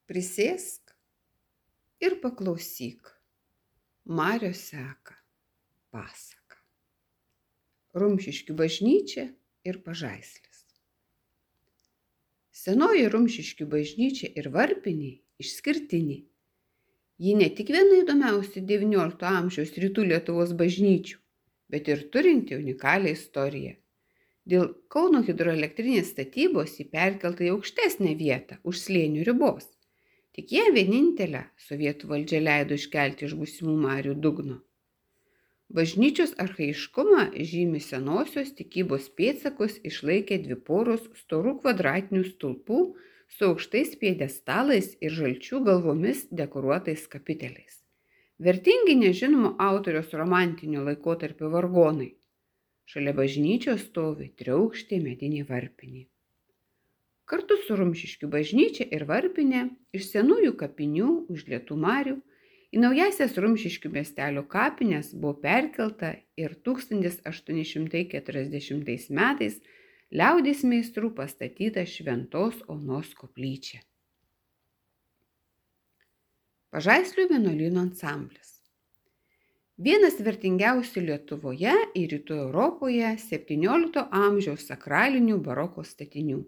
Prisėsk ir paklausyk. Marios seka pasaka. Rumšiškių bažnyčia ir Pažaislis. Senoji Rumšiškių bažnyčia ir varpinė išskirtinė. Ji ne tik viena įdomiausių XIX amžiaus rytų Lietuvos bažnyčių, bet ir turinti unikalią istoriją. Dėl Kauno hidroelektrinės statybos ji perkelta į aukštesnę vietą už slėnių ribos. Tik ją vienintelę sovietų valdžia leido iškelti iš būsimų marių dugno. Bažnyčios archaiškumą žymi senosios tikybos pėdsakus išlaikė dvi poros storų kvadratinių stulpų su aukštais pjedestalais ir žalčių galvomis dekoruotais kapiteliais. Vertingi nežinomo autoriaus romantinio laikotarpio vargonai. Šalia bažnyčios stovi triaukštė medinė varpinė. Kartu su Rumšiškių bažnyčia ir varpinė iš senųjų kapinių už Lietų marių į naujasias Rumšiškių miestelio kapines buvo perkelta ir 1840 metais liaudies meistrų pastatyta Šventos Onos koplyčia. Pažaislio vienuolyno ansamblis. Vienas vertingiausių Lietuvoje ir Rytų Europoje XVII amžiaus sakralinių baroko statinių.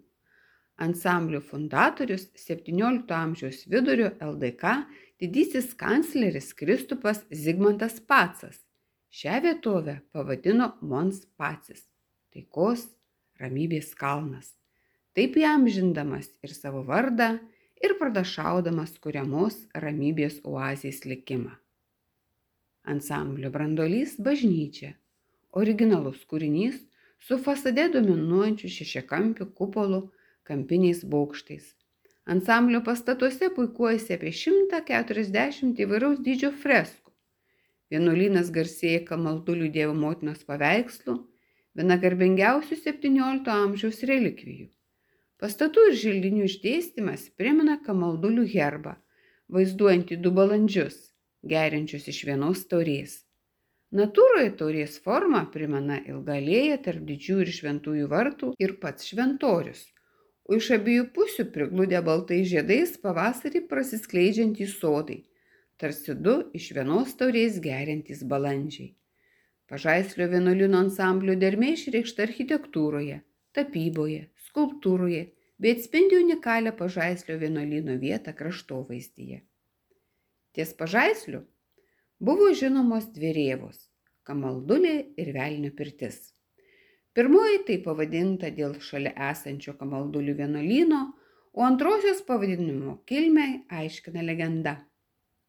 Ansamblio fundatorius XVII amžiaus vidurio LDK didysis kancleris Kristupas Zigmantas Pacas. Šią vietovę pavadino Mons Pacis – taikos, ramybės kalnas. Taip įamžindamas ir savo vardą, ir pranašaudamas kuriamos ramybės oazės likimą. Ansamblio branduolys bažnyčia. Originalus kūrinys su fasade dominuojančiu šešiakampiu kupolu, kampiniais bokštais. Ansamblio pastatuose puikuojasi apie 140 įvairaus dydžio freskų. Vienuolynas garsėja Kamaldulių Dievo motinos paveikslų, viena garbingiausių XVII amžiaus relikvijų. Pastatų ir želdinių išdėstymas primena Kamaldulių herbą, vaizduojantį du balandžius, geriančius iš vienos taurės. Natūroje taurės forma primena ilgą alėją tarp didžiųjų ir šventųjų vartų ir pats šventorius, o iš abiejų pusių prigludę baltais žiedais pavasarį prasiskleidžiantys sodai, tarsi du iš vienos taurės geriantys balandžiai. Pažaislio vienuolyno ansamblio dermė išreikšta architektūroje, tapyboje, skulptūroje, bei atspindi unikalią Pažaislio vienuolyno vietą kraštovaizdyje. Ties Pažaisliu buvo žinomos dvi rėvos – Kamaldulė ir Velnio pirtis. Pirmoji tai pavadinta dėl šalia esančio Kamaldulių vienuolyno, o antrosios pavadinimo kilmę aiškina legenda.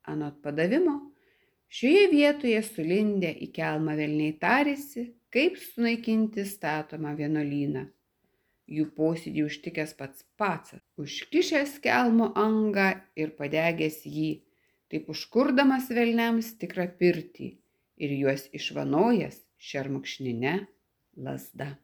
Anot padavimo, šioje vietoje sulindę į kelmą velniai tarėsi, kaip sunaikinti statomą vienuolyną. Jų posėdį užtikęs pats Pacas, užkišęs kelmo angą ir padegęs jį, taip užkurdamas velniams tikrą pirtį ir juos išvanojęs šermukšnine lazda.